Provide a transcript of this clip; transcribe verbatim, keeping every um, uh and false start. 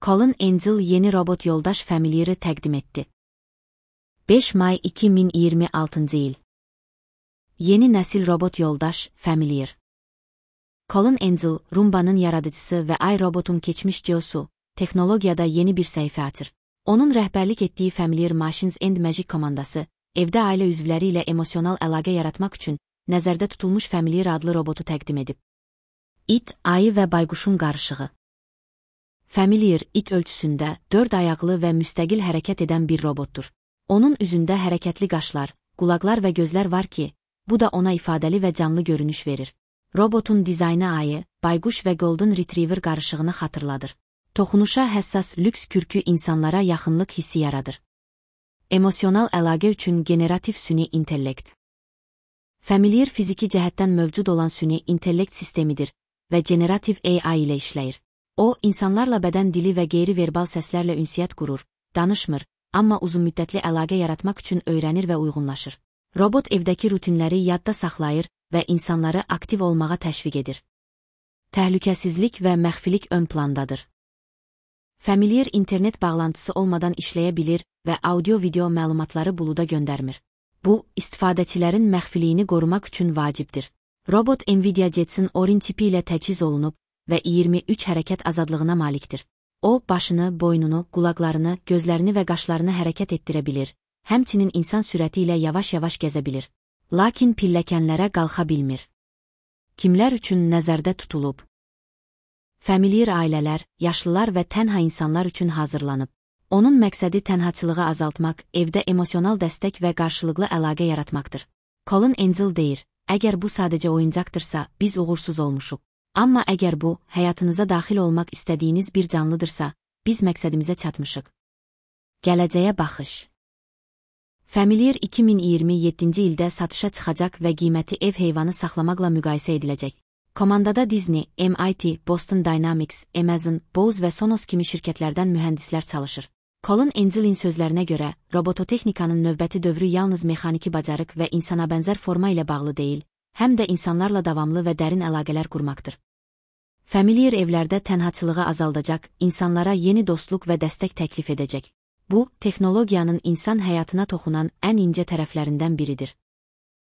Colin Angel yeni robot yoldaş Familiar'ı təqdim etdi. beş may iki min iyirmi altıncı il. Yeni nəsil robot yoldaş Familiar. Colin Angel, Rumba'nın yaradıcısı ve iRobot'un keçmiş C E O'su, teknologiyada yeni bir səhifə açır. Onun rəhbərlik etdiyi Familiar Machines and Magic komandası, evdə ailə üzvləri ilə emosional əlaqə yaratmaq üçün nəzərdə tutulmuş Familiar adlı robotu təqdim edib. İt, ayı və bayquşun qarışığı. Familiar, it ölçüsündə dörd ayaqlı və müstəqil hərəkət edən bir robotdur. Onun üzündə hərəkətli qaşlar, qulaqlar və gözlər var ki, bu da ona ifadəli və canlı görünüş verir. Robotun dizaynı ayı, bayquş və Golden Retriever qarışığını xatırladır. Toxunuşa həssas lüks kürkü insanlara yaxınlıq hissi yaradır. Emosional əlaqə üçün generativ süni intellekt. Familiar fiziki cəhətdən mövcud olan süni intellekt sistemidir və generativ A I ilə işləyir. O, insanlarla bədən dili və qeyri-verbal səslərlə ünsiyyət qurur, danışmır, amma uzunmüddətli əlaqə yaratmaq üçün öyrənir və uyğunlaşır. Robot evdəki rutinləri yadda saxlayır və insanları aktiv olmağa təşviq edir. Təhlükəsizlik və məxfilik ön plandadır. Familiar internet bağlantısı olmadan işləyə bilir və audio-video məlumatları buluda göndərmir. Bu, istifadəçilərin məxfiliyini qorumaq üçün vacibdir. Robot Nvidia Jetson Orin tipi ilə təchiz olunub və iyirmi üç hərəkət azadlığına malikdir. O, başını, boynunu, qulaqlarını, gözlərini və qaşlarını hərəkət etdirə bilir, həmçinin insan sürəti ilə yavaş-yavaş gəzə bilir. Lakin pilləkənlərə qalxa bilmir. Kimlər üçün nəzərdə tutulub? Familiar ailələr, yaşlılar və tənha insanlar üçün hazırlanıb. Onun məqsədi tənhaçılığı azaltmaq, evdə emosional dəstək və qarşılıqlı əlaqə yaratmaqdır. Colin Angel deyir, əgər bu sadəcə oyuncaqdırsa, biz uğursuz olmuşuq. Amma əgər bu, həyatınıza daxil olmaq istədiyiniz bir canlıdırsa, biz məqsədimizə çatmışıq. Gələcəyə baxış. Familiar iki min iyirmi yeddinci ildə satışa çıxacaq və qiyməti ev heyvanı saxlamaqla müqayisə ediləcək. Komandada Disney, M I T, Boston Dynamics, Amazon, Bose və Sonos kimi şirkətlərdən mühəndislər çalışır. Colin Angel'in sözlərinə görə, robototexnikanın növbəti dövrü yalnız mexaniki bacarıq və insana bənzər forma ilə bağlı deyil, həm də insanlarla davamlı və dərin əlaqələr qurmaqdır. Familiar evlərdə tənhaçılığı azaldacaq, insanlara yeni dostluq və dəstək təklif edəcək. Bu, texnologiyanın insan həyatına toxunan ən incə tərəflərindən biridir.